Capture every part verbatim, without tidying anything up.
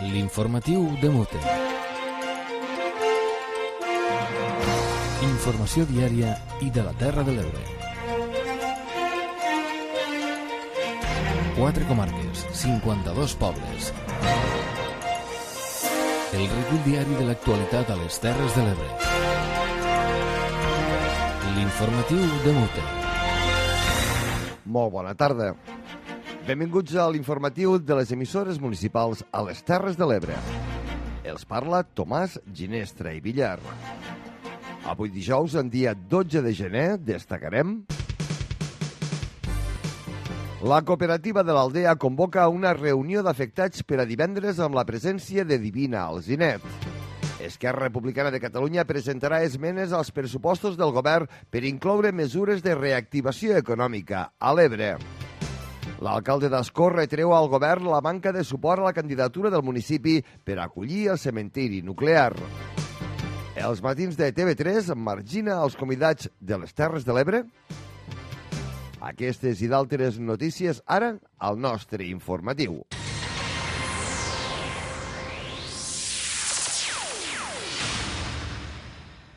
L'informatiu de Mute. Informació diària i de la Terra de l'Ebre. Quatre comarques, cinquanta-dos pobles. El recull diari de l'actualitat a les Terres de l'Ebre. L'informatiu de Mute. Molt bona tarda. Benvinguts a l'informatiu de les emissores municipals a les Terres de l'Ebre. Els parla Tomàs Ginestra i Villar. Avui dijous, en dia dotze de gener, destacarem... La cooperativa de l'Aldea convoca una reunió d'afectats per a divendres amb la presència de Divina Alzinet. Esquerra Republicana de Catalunya presentarà esmenes als pressupostos del govern per incloure mesures de reactivació econòmica a l'Ebre. L'alcalde d'Ascó retreu al govern la manca de suport a la candidatura del municipi per acollir el cementiri nuclear. Els matins de T V tres margina els convidats de les Terres de l'Ebre. Aquestes i d'altres notícies ara al nostre informatiu.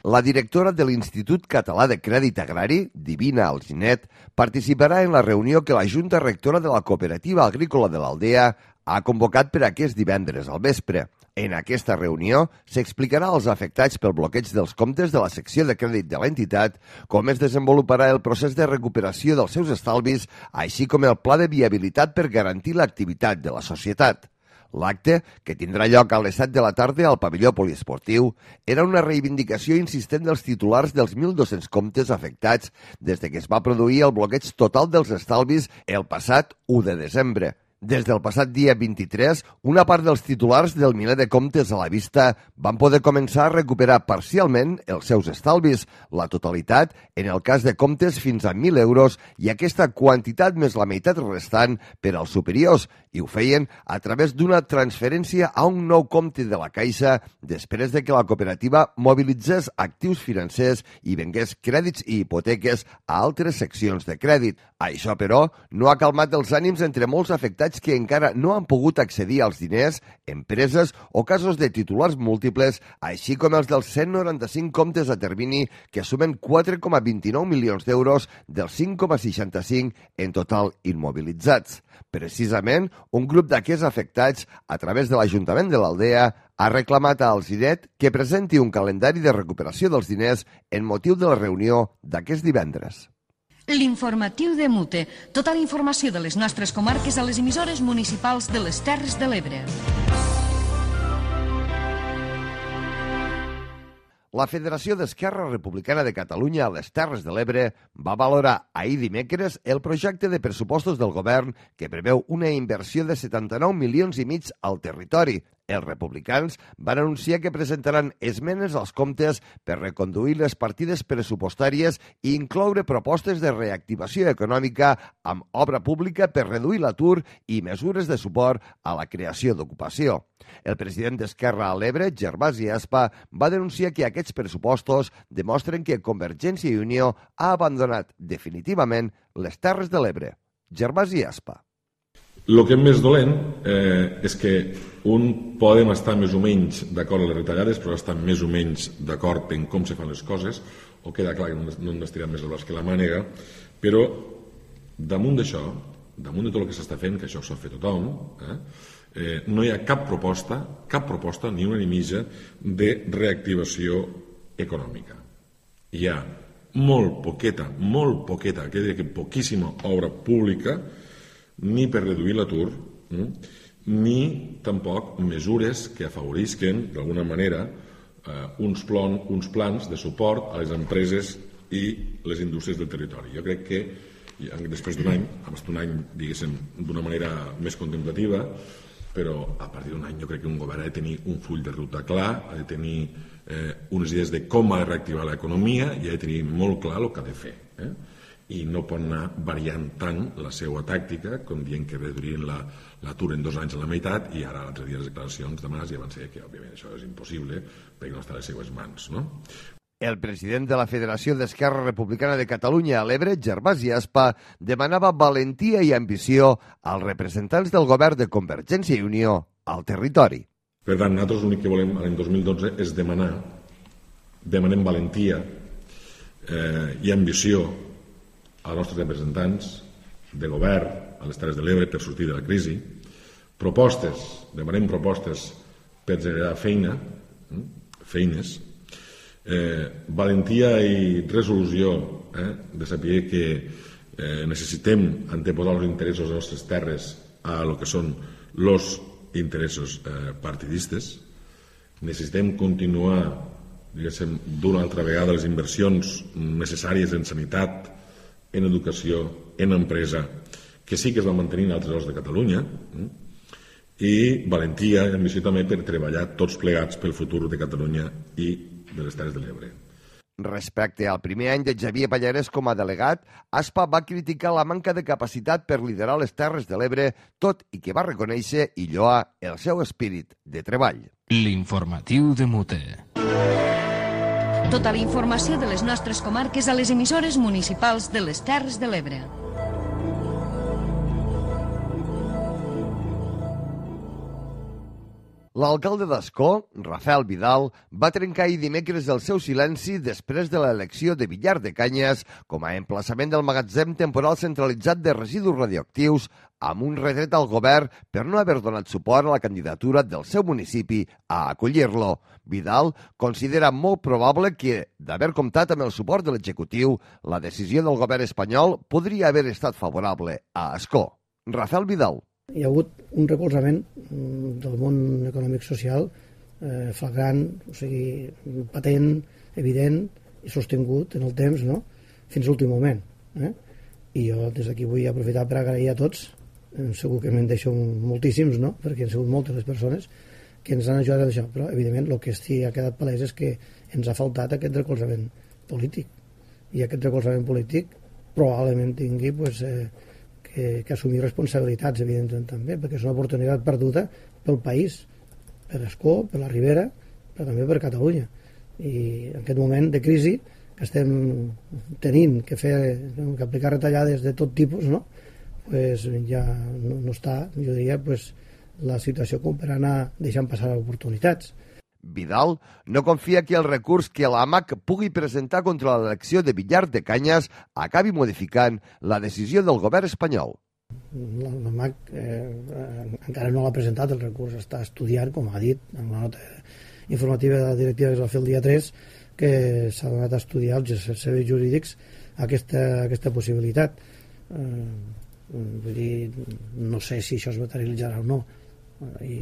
La directora de l'Institut Català de Crèdit Agrari, Divina Alzinet, participarà en la reunió que la Junta Rectora de la Cooperativa Agrícola de l'Aldea ha convocat per aquest divendres al vespre. En aquesta reunió s'explicarà als afectats pel bloqueig dels comptes de la secció de crèdit de l'entitat com es desenvoluparà el procés de recuperació dels seus estalvis, així com el pla de viabilitat per garantir l'activitat de la societat. L'acte, que tindrà lloc a les set de la tarda al pavelló poliesportiu, era una reivindicació insistent dels titulars dels mil dos-cents comptes afectats des de que es va produir el bloqueig total dels estalvis el passat u de desembre. Des del passat dia vint-i-tres, una part dels titulars del miler de comptes a la vista van poder començar a recuperar parcialment els seus estalvis, la totalitat en el cas de comptes fins a mil euros i aquesta quantitat més la meitat restant per als superiors, i ho feien a través d'una transferència a un nou compte de la Caixa després de que la cooperativa mobilitzés actius financers i vengués crèdits i hipoteques a altres seccions de crèdit. Això, però, no ha calmat els ànims entre molts afectats que encara no han pogut accedir als diners, empreses o casos de titulars múltiples, així com els dels cent noranta-cinc comptes a termini que sumen quatre coma vint-i-nou milions d'euros dels cinc coma seixanta-cinc en total immobilitzats. Precisament, un grup d'aquests afectats, a través de l'Ajuntament de l'Aldea, ha reclamat a Alzinet que presenti un calendari de recuperació dels diners en motiu de la reunió d'aquest divendres. L'informatiu de Mute. Tota la informació de les nostres comarques a les emissores municipals de les Terres de l'Ebre. La Federació d'Esquerra Republicana de Catalunya a les Terres de l'Ebre va valorar ahir dimecres el projecte de pressupostos del govern que preveu una inversió de setanta-nou milions i mig al territori. Els republicans van anunciar que presentaran esmenes als comptes per reconduir les partides pressupostàries i incloure propostes de reactivació econòmica amb obra pública per reduir l'atur i mesures de suport a la creació d'ocupació. El president d'Esquerra a l'Ebre, Gervasi Aspa, va denunciar que aquests pressupostos demostren que Convergència i Unió ha abandonat definitivament les Terres de l'Ebre. Gervasi Aspa. El que és més dolent eh, és que un podem estar més o menys d'acord amb les retallades, però estar més o menys d'acord en com se fan les coses, o queda clar que no hem d'estirar més el braç que la mànega, però damunt d'això, damunt de tot el que s'està fent, que això s'ha fet tothom, eh, eh, no hi ha cap proposta, cap proposta, ni una ni mitja, de reactivació econòmica. Hi ha molt poqueta, molt poqueta, que diria que poquíssima obra pública, ni per reduir l'atur, ni tampoc mesures que afavorisquen, d'alguna manera, uns, plon, uns plans de suport a les empreses i les indústries del territori. Jo crec que, després d'un any, abans d'un any, diguéssim, d'una manera més contemplativa, però a partir d'un any jo crec que un govern ha de tenir un full de ruta clar, ha de tenir eh, unes idees de com ha de reactivar l'economia i ha de tenir molt clar el que ha de fer. Eh? I no pot anar variant tant la seva tàctica, com dient que reduirien l'atur en dos anys a la meitat, i ara l'altre dia les declaracions de Mas ja van ser que, òbviament, això és impossible perquè no està a les seues mans, no? El president de la Federació d'Esquerra Republicana de Catalunya a l'Ebre, Gervasi Aspa, demanava valentia i ambició als representants del govern de Convergència i Unió al territori. Per tant, nosaltres l'únic que volem l'any dos mil dotze és demanar, demanem valentia eh, i ambició als nostres representants de govern a les Terres de l'Ebre per sortir de la crisi, propostes, demanem propostes per generar feina, feines, eh, valentia i resolució eh, de saber que eh, necessitem anteposar els interessos de les nostres terres a lo que són els interessos eh, partidistes. Necessitem continuar, diguéssim, d'una altra vegada les inversions necessàries en sanitat, en educació, en empresa, que sí que es van mantenir en altres llocs de Catalunya, eh? I valentia i ambició també per treballar tots plegats pel futur de Catalunya i de les Terres de l'Ebre. Respecte al primer any de Xavier Pallarès com a delegat, Aspa va criticar la manca de capacitat per liderar les Terres de l'Ebre, tot i que va reconèixer i lloar el seu espírit de treball. L'informatiu de Mute. Tota la informació de les nostres comarques a les emissores municipals de les Terres de l'Ebre. L'alcalde d'Ascó, Rafael Vidal, va trencar ahir dimecres el seu silenci després de l'elecció de Villar de Canyes com a emplaçament del magatzem temporal centralitzat de residus radioactius, amb un retret al govern per no haver donat suport a la candidatura del seu municipi a acollir-lo. Vidal considera molt probable que, d'haver comptat amb el suport de l'executiu, la decisió del govern espanyol podria haver estat favorable a Ascó. Rafael Vidal. Hi ha hagut un recolzament del món econòmic social eh, flagrant, o sigui, patent, evident i sostingut en el temps, no? Fins a l'últim moment. Eh? I jo des d'aquí vull aprofitar per agrair a tots, eh, segur que me'n deixo moltíssims, no? Perquè han sigut moltes les persones que ens han ajudat a això, però evidentment el que sí ha quedat palès és que ens ha faltat aquest recolzament polític, i aquest recolzament polític probablement tingui pues, eh, que, que assumir responsabilitats, evidentment també, perquè és una oportunitat perduda pel país, per Ascó, per la Ribera, però també per Catalunya. I en aquest moment de crisi que estem tenint que fer, que aplicar retallades de tot tipus, no? Pues ja no, no està, jo diria, pues, la situació com per anar deixant passar oportunitats. Vidal no confia que el recurs que l'A M A C pugui presentar contra l'elecció de Villar de Canyes acabi modificant la decisió del govern espanyol. L'A M A C eh, encara no l'ha presentat, el recurs està estudiant, com ha dit, en la nota informativa de la directiva que es va fer el dia tres, que s'ha donat a estudiar els serveis jurídics aquesta, aquesta possibilitat. Eh, vull dir, no sé si això es materialitzarà o no, i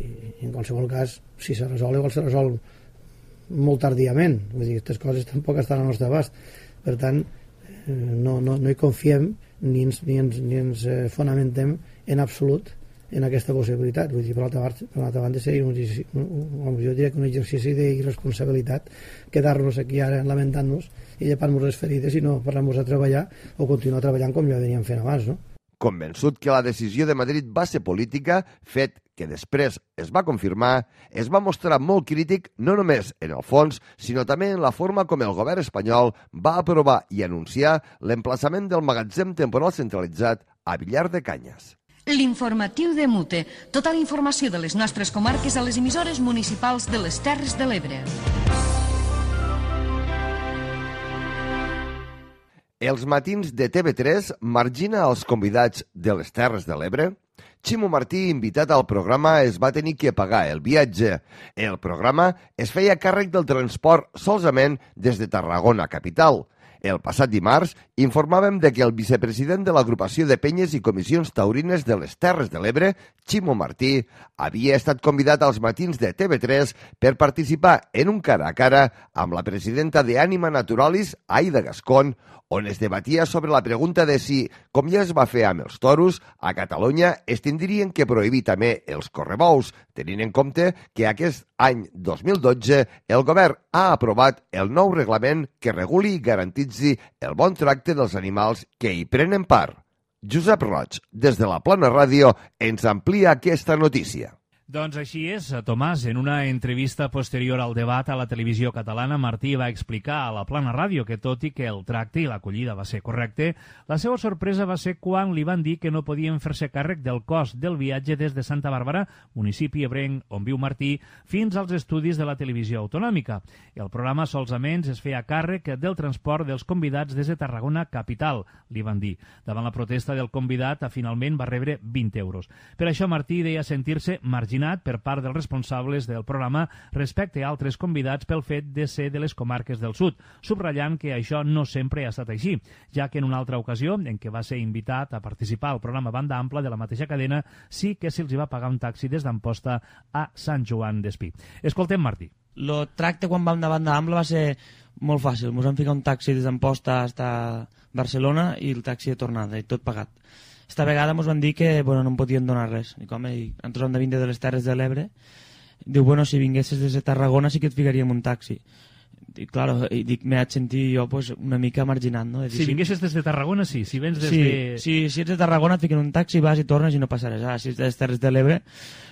en qualsevol cas si se resol igual se resol molt tardíament, vull dir, aquestes coses tampoc estan al nostre abast, per tant no, no, no hi confiem ni ens, ni ens, ni ens fonamentem en absolut en aquesta possibilitat. Vull dir, per l'altra banda, per l'altra banda seria un, un, jo diria que un exercici d'irresponsabilitat quedar-nos aquí ara lamentant-nos i llepant-nos les ferides i no parlar-nos a treballar o continuar treballant com ja veníem fent abans, no? Convençut que la decisió de Madrid va ser política, fet que després es va confirmar, es va mostrar molt crític no només en el fons, sinó també en la forma com el govern espanyol va aprovar i anunciar l'emplaçament del magatzem temporal centralitzat a Villar de Canyes. L'informatiu de Mute. Tota la informació de les nostres comarques a les emissores municipals de les Terres de l'Ebre. Els matins de T V tres margina els convidats de les Terres de l'Ebre. Ximo Martí, invitat al programa, es va tenir que pagar el viatge. El programa es feia càrrec del transport solament des de Tarragona capital. El passat dimarts informàvem de que el vicepresident de l'agrupació de penyes i comissions taurines de les Terres de l'Ebre, Ximo Martí, havia estat convidat als matins de T V tres per participar en un cara a cara amb la presidenta de Ànima Naturalis, Aida Gascón, on es debatia sobre la pregunta de si, com ja es va fer amb els toros, a Catalunya es tindrien que prohibir també els correbous, tenint en compte que aquest any dos mil dotze el govern ha aprovat el nou reglament que reguli i garantitzi el bon tracte dels animals que hi prenen part. Josep Roig, des de la Plana Ràdio, ens amplia aquesta notícia. Doncs així és, Tomàs. En una entrevista posterior al debat a la televisió catalana, Martí va explicar a la Plana Ràdio que, tot i que el tracte i l'acollida va ser correcte, la seva sorpresa va ser quan li van dir que no podien fer-se càrrec del cost del viatge des de Santa Bàrbara, municipi ebrenc on viu Martí, fins als estudis de la televisió autonòmica. El programa solament es feia càrrec del transport dels convidats des de Tarragona capital, li van dir. Davant la protesta del convidat, finalment va rebre vint euros. Per això Martí deia sentir-se marginat per part dels responsables del programa respecte a altres convidats pel fet de ser de les comarques del sud, subratllant que això no sempre ha estat així, ja que en una altra ocasió, en què va ser invitat a participar al programa Banda Ampla de la mateixa cadena, sí que se'ls va pagar un taxi des d'Amposta a Sant Joan d'Espí. Escoltem Martí. El tracte quan vam de Banda Ampla va ser molt fàcil. Ens vam ficar un taxi des d'Amposta fins a Barcelona i el taxi de tornada, i tot pagat. Esta vegada ens van dir que bueno, no em podien donar res. Dic, home, nosaltres hem de vindre de les Terres de l'Ebre. Diu, bueno, si vinguessis des de Tarragona sí que et ficaríem un taxi. I, claro, i dic, m'he de sentir jo pues, una mica marginat, no? Dir, si vinguessis des de Tarragona, sí. Si vens des sí, de... Sí, si ets de Tarragona et fiquen un taxi, vas i tornes i no passa res. Ah, si ets de les Terres de l'Ebre,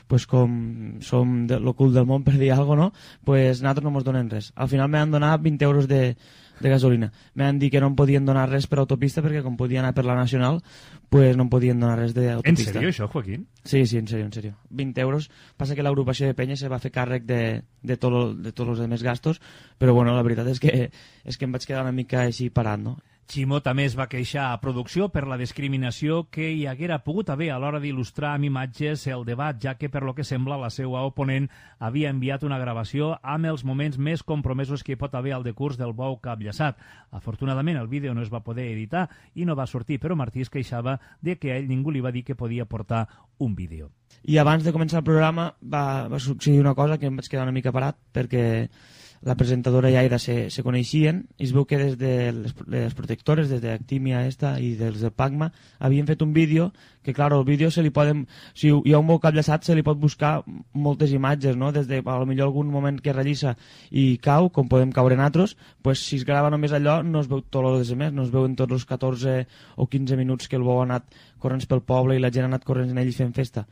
pues, com som de l'ocult del món, per dir alguna cosa, no? Pues nosaltres no ens donen res. Al final m'han donat vint euros de, de gasolina. M'han dit que no em podien donar res per autopista perquè com podia anar per la Nacional, pues no em podien donar res d'autopista. En sèrio, això, Joaquín? Sí, sí, en sèrio, en sèrio. vint euros. Passa que l'agrupació de Penya se va fer càrrec de, de, tot lo, de tots els altres gastos, però bueno, la veritat és que, és que em vaig quedar una mica així parat, no? Ximo també es va queixar a producció per la discriminació que hi haguera pogut haver a l'hora d'il·lustrar amb imatges el debat, ja que, per lo que sembla, la seva oponent havia enviat una gravació amb els moments més compromesos que hi pot haver al decurs del bou capllaçat. Afortunadament, el vídeo no es va poder editar i no va sortir, però Martí es queixava de que a ell ningú li va dir que podia portar un vídeo. I abans de començar el programa va, va succeir una cosa que em vaig quedar una mica parat, perquè la presentadora i Aida se, se coneixien i es veu que des de les, les protectores, des d'Actimia esta i dels del Pacma, havien fet un vídeo que, clar, el vídeo se li poden... Si hi ha un bou capllaçat se li pot buscar moltes imatges, no? Des de, a lo millor algun moment que relliça i cau, com podem caure nosaltres, pues, si es grava només allò no es veu tot el que més, no es veuen tots els catorze o quinze minuts que el bou ha anat corrents pel poble i la gent ha anat corrents en ell i fent festa.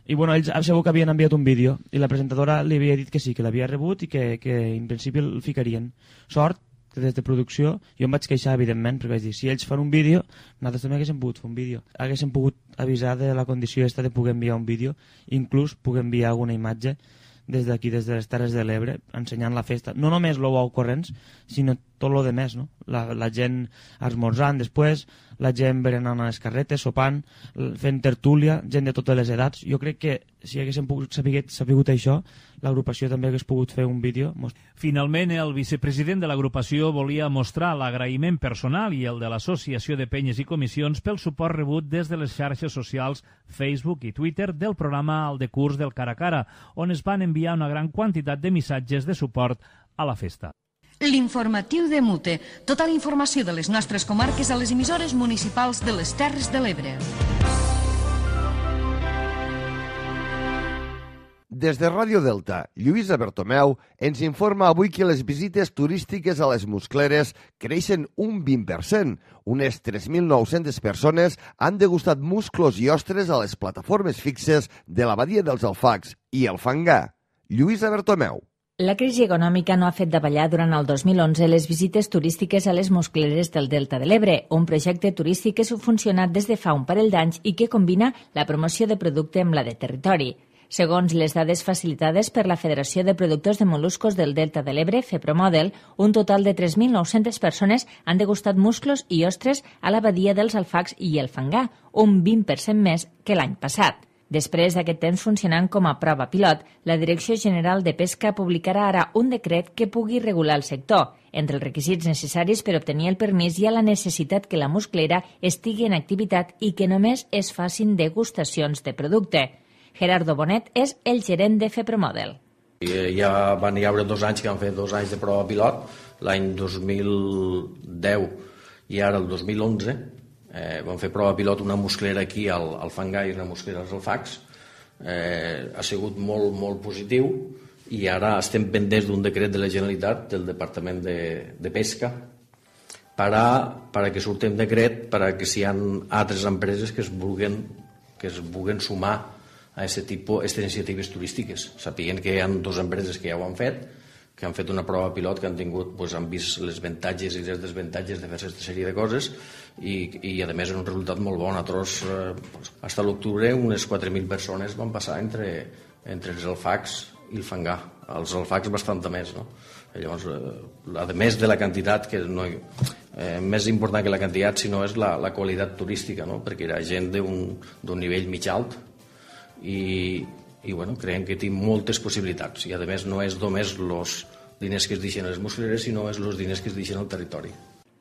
I bueno, ells segur que havien enviat un vídeo i la presentadora li havia dit que sí, que l'havia rebut i que, que en principi el ficarien. Sort que des de producció jo em vaig queixar, evidentment, perquè vaig dir, si ells fan un vídeo, nosaltres també haguéssim pogut fer un vídeo. Haguéssim pogut avisar de la condició esta de poder enviar un vídeo, inclús poder enviar alguna imatge des d'aquí, des de les Terres de l'Ebre, ensenyant la festa. No només el bou corrents, sinó tot el demés, no? La, la gent esmorzant després, la gent berenant a les carretes, sopant, fent tertúlia, gent de totes les edats. Jo crec que si haguéssim pogut saber, sabigut això, l'agrupació també hagués pogut fer un vídeo. Finalment, el vicepresident de l'agrupació volia mostrar l'agraïment personal i el de l'Associació de Penyes i Comissions pel suport rebut des de les xarxes socials Facebook i Twitter del programa El decurs del cara a cara, on es van enviar una gran quantitat de missatges de suport a la festa. L'informatiu de Mute. Tota la informació de les nostres comarques a les emissores municipals de les Terres de l'Ebre. Des de Ràdio Delta, Lluïsa Bertomeu ens informa avui que les visites turístiques a les Muscleres creixen un vint per cent. Unes tres mil nou-centes persones han degustat musclos i ostres a les plataformes fixes de la badia dels Alfacs i el Fangar. Lluïsa Bertomeu. La crisi econòmica no ha fet davallar durant el dos mil onze les visites turístiques a les Muscleres del Delta de l'Ebre, un projecte turístic que ha funcionat des de fa un parell d'anys i que combina la promoció de producte amb la de territori. Segons les dades facilitades per la Federació de Productors de Moluscos del Delta de l'Ebre, FEPROMODEL, un total de tres mil nou-centes persones han degustat musclos i ostres a la badia dels Alfacs i el Fangar, un vint per cent més que l'any passat. Després d'aquest temps funcionant com a prova pilot, la Direcció General de Pesca publicarà ara un decret que pugui regular el sector. Entre els requisits necessaris per obtenir el permís hi ha la necessitat que la musclera estigui en activitat i que només es facin degustacions de producte. Gerardo Bonet és el gerent de FEPROMODEL. Ja van hi haure dos anys que han fet dos anys de prova pilot, l'any dos mil deu i ara el dos mil onze. Eh, vam fer prova pilot una musclera aquí al, al Fangar i una musclera als Alfacs. Eh, ha sigut molt, molt positiu i ara estem pendents d'un decret de la Generalitat, del Departament de, de Pesca, per a, per a que surti un decret per a que si hi ha altres empreses que es vulguen, que es vulguen sumar a a aquest tipus, aquestes iniciatives turístiques. Sapiguen que hi ha dues empreses que ja ho han fet, que han fet una prova pilot, que han tingut, doncs, han vist les avantatges i les desavantatges de fer aquesta sèrie de coses i, i a més és un resultat molt bon. Nosaltres, eh, doncs, fins a l'octubre, unes quatre mil persones van passar entre, entre els alfacs i el fangar. Els alfacs bastanta més, no? I llavors, eh, a més de la quantitat, que no, eh, més important que la quantitat, sinó és la, la qualitat turística, no? Perquè era gent d'un nivell mig alt i, i bueno, creiem que té moltes possibilitats i a més no és només els diners que es deixen a les muscleres, sinó és els diners que es deixen al territori.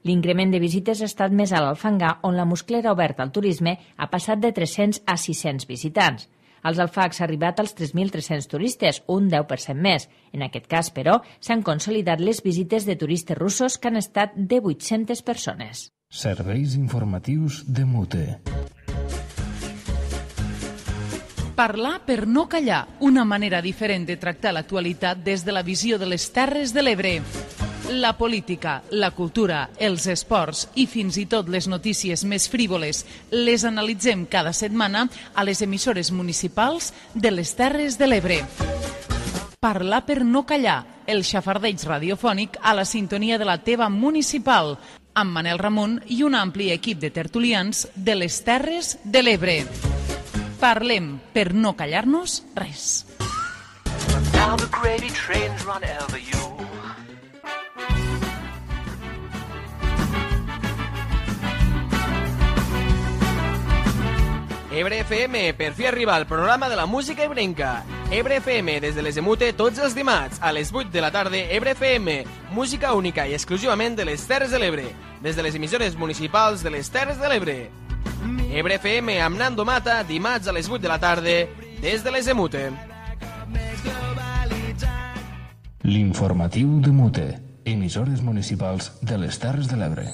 L'increment de visites ha estat més alt al fangar, on la musclera oberta al turisme ha passat de tres-cents a sis-cents visitants. Als alfacs ha arribat als tres mil tres-cents turistes, un deu per cent més. En aquest cas, però, s'han consolidat les visites de turistes russos, que han estat de vuit-centes persones. Serveis informatius de Mute. Parlar per no callar, una manera diferent de tractar l'actualitat des de la visió de les Terres de l'Ebre. La política, la cultura, els esports i fins i tot les notícies més frívoles les analitzem cada setmana a les emissores municipals de les Terres de l'Ebre. Parlar per no callar, el xafardeig radiofònic a la sintonia de la teva municipal, amb Manel Ramon i un ampli equip de tertulians de les Terres de l'Ebre. Parlem per no callar-nos res. Now the gravy trains run over you. Ebre F M, per fi arriba el programa de la música ebrenca. Ebre F M, des de les Emute, tots els dimarts, a les vuit de la tarda, Ebre F M, música única i exclusivament de les Terres de l'Ebre, des de les emissores municipals de les Terres de l'Ebre. Ebre F M amb Nando Mata, dimarts a les vuit de la tarda, des de les Emute. L'informatiu de Mute, emissores municipals de les Terres de l'Ebre.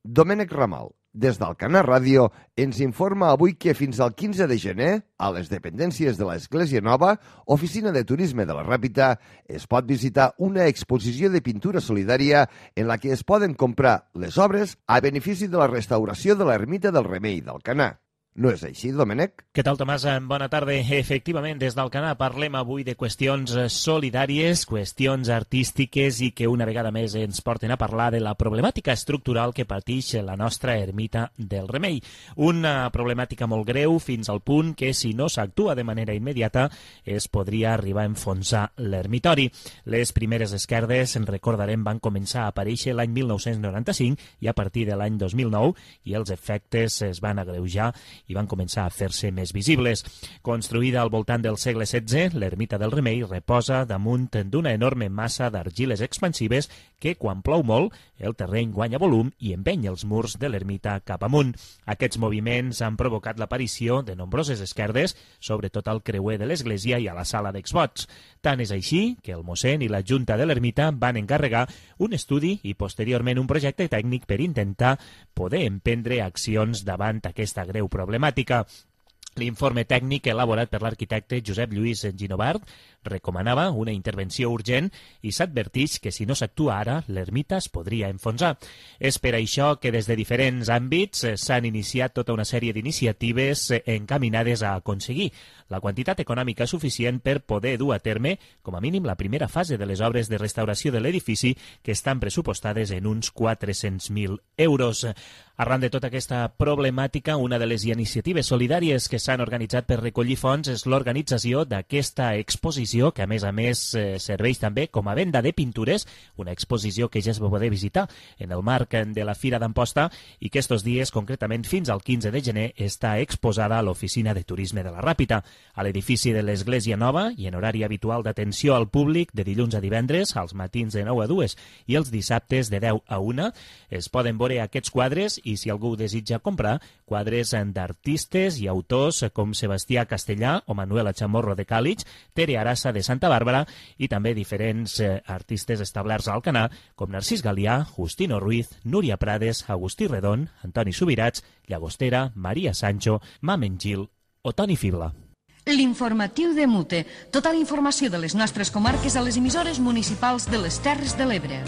Domènec Ramal, des d'Alcanar Ràdio, ens informa avui que fins al quinze de gener, a les dependències de l'Església Nova, Oficina de Turisme de la Ràpita, es pot visitar una exposició de pintura solidària en la que es poden comprar les obres a benefici de la restauració de l'ermita del Remei d'Alcanar. No és així, Domènec? Què tal, Tomàs? Bona tarda. Efectivament, des d'Alcanar parlem avui de qüestions solidàries, qüestions artístiques i que una vegada més ens porten a parlar de la problemàtica estructural que pateix la nostra ermita del Remei. Una problemàtica molt greu fins al punt que, si no s'actua de manera immediata, es podria arribar a enfonsar l'ermitori. Les primeres esquerdes, en recordarem, van començar a aparèixer l'any mil nou-cents noranta-cinc i a partir de l'any dos mil nou, i els efectes es van agreujar i van començar a fer-se més visibles. Construïda al voltant del segle setze, l'ermita del Remei reposa damunt d'una enorme massa d'argiles expansives que, quan plou molt, el terreny guanya volum i empeny els murs de l'ermita cap amunt. Aquests moviments han provocat l'aparició de nombroses esquerdes, sobretot al creuer de l'església i a la sala d'exvots. Tant és així que el mossèn i la junta de l'ermita van encarregar un estudi i posteriorment un projecte tècnic per intentar poder emprendre accions davant aquesta greu problemàtica. L'informe tècnic elaborat per l'arquitecte Josep Lluís Ginovart recomanava una intervenció urgent i s'adverteix que si no s'actua ara, l'ermita es podria enfonsar. És per això que des de diferents àmbits s'han iniciat tota una sèrie d'iniciatives encaminades a aconseguir la quantitat econòmica suficient per poder dur a terme, com a mínim, la primera fase de les obres de restauració de l'edifici, que estan pressupostades en uns quatre-cents mil euros. Arran de tota aquesta problemàtica, una de les iniciatives solidàries que s'han organitzat per recollir fons és l'organització d'aquesta exposició, que a més a més eh, serveix també com a venda de pintures, una exposició que ja es va poder visitar en el marc de la Fira d'Amposta i que estos dies, concretament fins al quinze de gener, està exposada a l'Oficina de Turisme de la Ràpita, a l'edifici de l'Església Nova i en horari habitual d'atenció al públic de dilluns a divendres, als matins de nou a dues i els dissabtes de deu a una. Es poden veure aquests quadres i, si algú desitja comprar, quadres d'artistes i autors com Sebastià Castellà o Manuela Chamorro de Càlig, Tere Arassa de Santa Bàrbara i també diferents eh, artistes establerts a Alcanar com Narcís Galià, Justino Ruiz, Núria Prades, Agustí Redon, Antoni Subirats, Llagostera, Maria Sancho, Mamen Gil o Toni Fibla. L'informatiu de Mute. Tota la informació de les nostres comarques a les emissores municipals de les Terres de l'Ebre.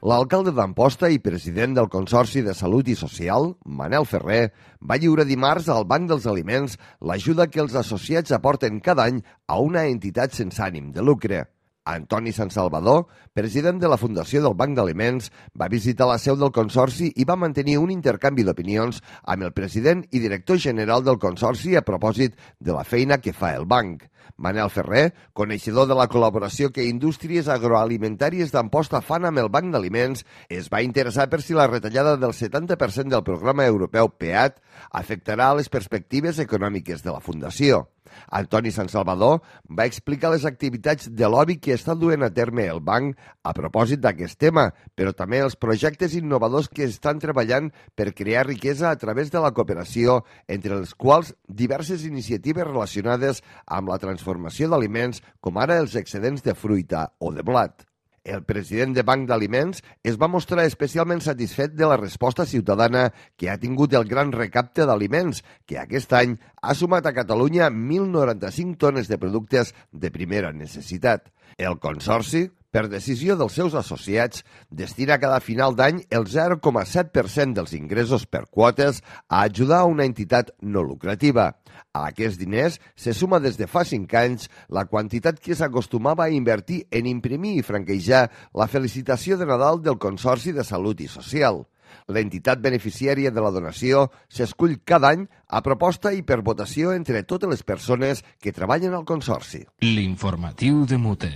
L'alcalde d'Amposta i president del Consorci de Salut i Social, Manel Ferrer, va lliurar dimarts al Banc dels Aliments l'ajuda que els associats aporten cada any a una entitat sense ànim de lucre. Antoni Sant Salvador, president de la Fundació del Banc d'Aliments, va visitar la seu del Consorci i va mantenir un intercanvi d'opinions amb el president i director general del Consorci a propòsit de la feina que fa el banc. Manel Ferrer, coneixedor de la col·laboració que indústries agroalimentàries d'Amposta fan amb el Banc d'Aliments, es va interessar per si la retallada del setanta per cent del programa europeu P E A T afectarà les perspectives econòmiques de la Fundació. Antoni Sant Salvador va explicar les activitats de lobby que està duent a terme el banc a propòsit d'aquest tema, però també els projectes innovadors que estan treballant per crear riquesa a través de la cooperació, entre els quals diverses iniciatives relacionades amb la transformació d'aliments, com ara els excedents de fruita o de blat. El president de Banc d'Aliments es va mostrar especialment satisfet de la resposta ciutadana que ha tingut el gran recapte d'aliments, que aquest any ha sumat a Catalunya mil noranta-cinc tones de productes de primera necessitat. El Consorci, per decisió dels seus associats, destina cada final d'any el zero coma set per cent dels ingressos per quotes a ajudar a una entitat no lucrativa. A aquests diners se suma des de fa cinc anys la quantitat que s'acostumava a invertir en imprimir i franquejar la felicitació de Nadal del Consorci de Salut i Social. L'entitat beneficiària de la donació s'escull cada any a proposta i per votació entre totes les persones que treballen al Consorci. L'informatiu de Mute.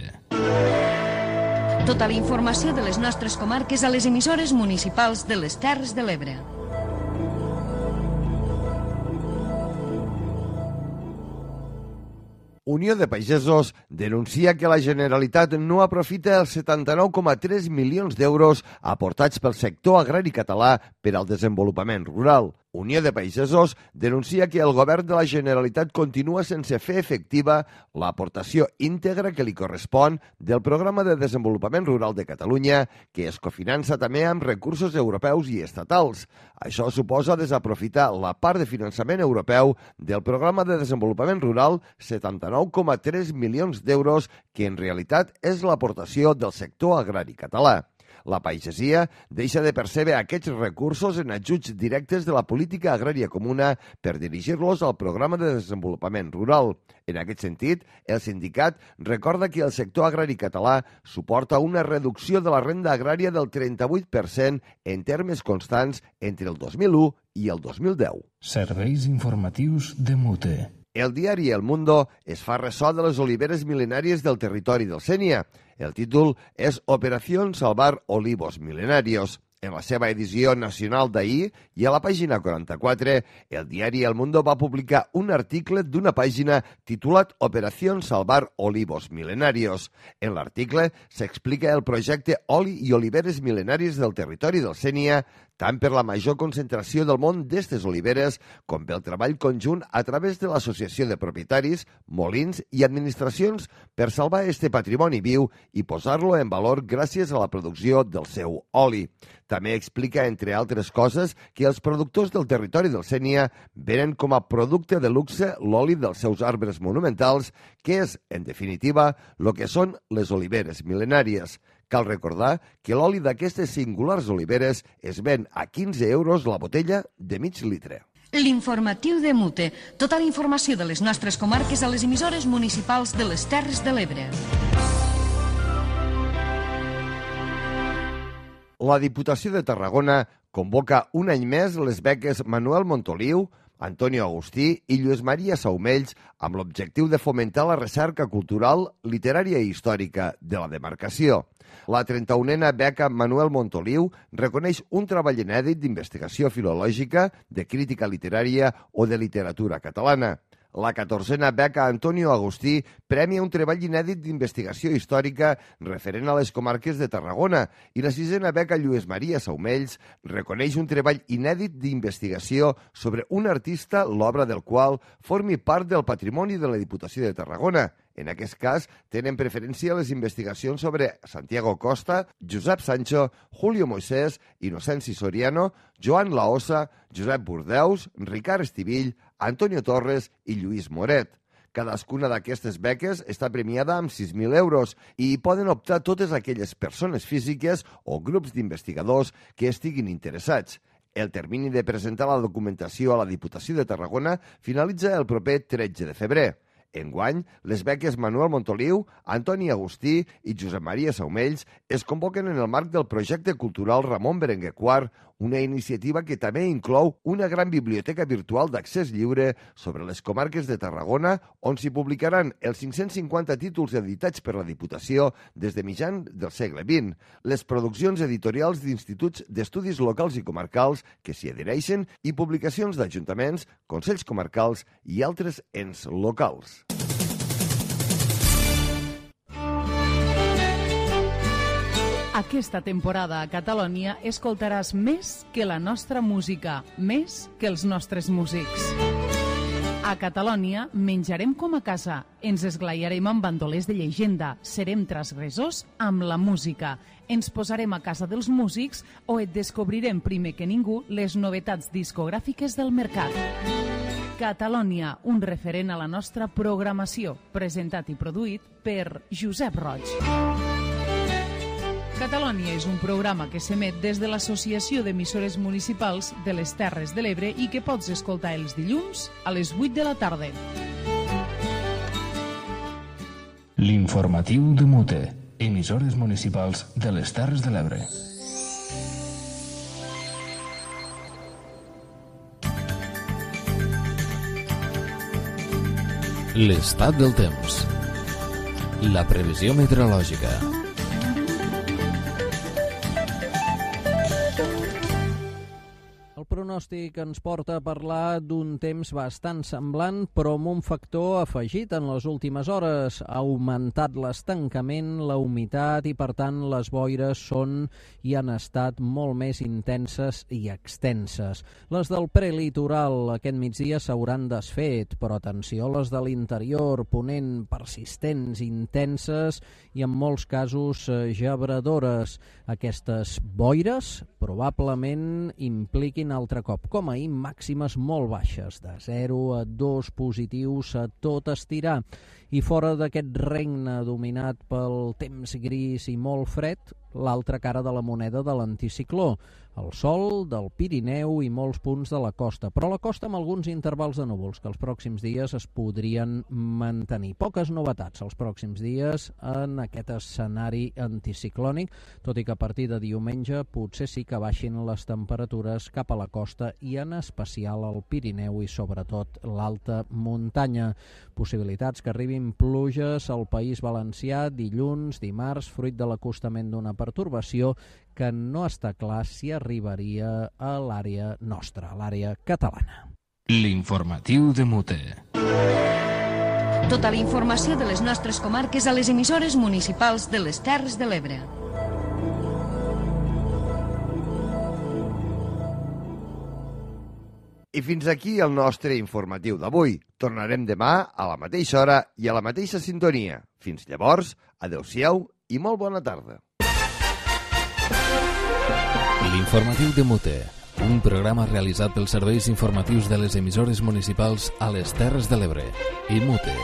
Tota la informació de les nostres comarques a les emissores municipals de les Terres de l'Ebre. Unió de Pagesos denuncia que la Generalitat no aprofita els setanta-nou coma tres milions d'euros aportats pel sector agrari català per al desenvolupament rural. Unió de Pagesos denuncia que el govern de la Generalitat continua sense fer efectiva l'aportació íntegra que li correspon del Programa de Desenvolupament Rural de Catalunya, que es cofinança també amb recursos europeus i estatals. Això suposa desaprofitar la part de finançament europeu del Programa de Desenvolupament Rural, setanta-nou coma tres milions d'euros, que en realitat és l'aportació del sector agrari català. La pagesia deixa de percebre aquests recursos en ajuts directes de la política agrària comuna per dirigir-los al programa de desenvolupament rural. En aquest sentit, el sindicat recorda que el sector agrari català suporta una reducció de la renda agrària del trenta-vuit per cent en termes constants entre el dos mil u i el dos mil deu. Serveis informatius de Mute. El diari El Mundo es fa ressò de les oliveres mil·lenàries del territori del Sénia. El títol és Operación Salvar Olivos Milenarios. En la seva edició nacional d'ahir i a la pàgina quaranta-quatre, el diari El Mundo va publicar un article d'una pàgina titulat Operación Salvar Olivos Milenarios. En l'article s'explica el projecte Oli i Oliveres Milenàries del territori del Sénia, tant per la major concentració del món d'estes oliveres com pel treball conjunt a través de l'associació de propietaris, molins i administracions per salvar este patrimoni viu i posar-lo en valor gràcies a la producció del seu oli. També explica, entre altres coses, que els productors del territori del Sénia venen com a producte de luxe l'oli dels seus arbres monumentals, que és, en definitiva, el que són les oliveres mil·lenàries. Cal recordar que l'oli d'aquestes singulars oliveres es ven a quinze euros la botella de mig litre. L'informatiu de Mute. Tota la informació de les nostres comarques a les emissores municipals de les Terres de l'Ebre. La Diputació de Tarragona convoca un any més les beques Manuel Montoliu, Antonio Agustí i Lluís Maria Saumells amb l'objectiu de fomentar la recerca cultural, literària i històrica de la demarcació. La trenta-unena beca Manuel Montoliu reconeix un treball inèdit d'investigació filològica, de crítica literària o de literatura catalana. La catorzena beca Antonio Agustí premia un treball inèdit d'investigació històrica referent a les comarques de Tarragona i la sisena beca Lluís Maria Saumells reconeix un treball inèdit d'investigació sobre un artista l'obra del qual formi part del patrimoni de la Diputació de Tarragona. En aquest cas, tenen preferència les investigacions sobre Santiago Costa, Josep Sancho, Julio Moisés, Inocenci Soriano, Joan Laossa, Josep Burdeus, Ricard Estivill, Antonio Torres i Lluís Moret. Cadascuna d'aquestes beques està premiada amb sis mil euros i hi poden optar totes aquelles persones físiques o grups d'investigadors que estiguin interessats. El termini de presentar la documentació a la Diputació de Tarragona finalitza el proper tretze de febrer. Enguany, les beques Manuel Montoliu, Antoni Agustí i Josep Maria Saumells es convoquen en el marc del projecte cultural Ramon Berenguer quart, una iniciativa que també inclou una gran biblioteca virtual d'accés lliure sobre les comarques de Tarragona, on s'hi publicaran els cinc-cents cinquanta títols editats per la Diputació des de mitjan del segle vint, les produccions editorials d'instituts d'estudis locals i comarcals que s'hi adhereixen i publicacions d'ajuntaments, consells comarcals i altres ens locals. Aquesta temporada a Catalònia escoltaràs més que la nostra música, més que els nostres músics. A Catalònia menjarem com a casa, ens esglaiarem amb bandolers de llegenda, serem transgressors amb la música, ens posarem a casa dels músics o et descobrirem primer que ningú les novetats discogràfiques del mercat. Catalònia, un referent a la nostra programació, presentat i produït per Josep Roig. Catalònia és un programa que s'emet des de l'Associació d'Emissores Municipals de les Terres de l'Ebre i que pots escoltar els dilluns a les vuit de la tarda. L'informatiu de Mute, emissores municipals de les Terres de l'Ebre. L'estat del temps. La previsió meteorològica. El pronòstic ens porta a parlar d'un temps bastant semblant, però amb un factor afegit en les últimes hores. Ha augmentat l'estancament, la humitat i, per tant, les boires són i han estat molt més intenses i extenses. Les del prelitoral aquest migdia s'hauran desfet, però atenció a les de l'interior, ponent persistents, intenses i en molts casos gebradores. Aquestes boires probablement impliquin altre cop, com ahir, màximes molt baixes, de zero a dos positius a tot estirar. I fora d'aquest regne dominat pel temps gris i molt fred, l'altra cara de la moneda de l'anticicló, el sol del Pirineu i molts punts de la costa, però la costa amb alguns intervals de núvols que els pròxims dies es podrien mantenir. Poques novetats els pròxims dies en aquest escenari anticiclònic, tot i que a partir de diumenge potser sí que baixin les temperatures cap a la costa i en especial al Pirineu i sobretot l'alta muntanya. Possibilitats que arribin pluges al País Valencià dilluns, dimarts, fruit de l'acostament d'una pertorbació que no està clar si arribaria a l'àrea nostra, a l'àrea catalana. L'informatiu de Mute. Tota la informació de les nostres comarques a les emissores municipals de les Terres de l'Ebre. I fins aquí el nostre informatiu d'avui. Tornarem demà a la mateixa hora i a la mateixa sintonia. Fins llavors, adeu-siau i molt bona tarda. L'informatiu de Mute, un programa realitzat pels serveis informatius de les emissores municipals a les Terres de l'Ebre i Mute.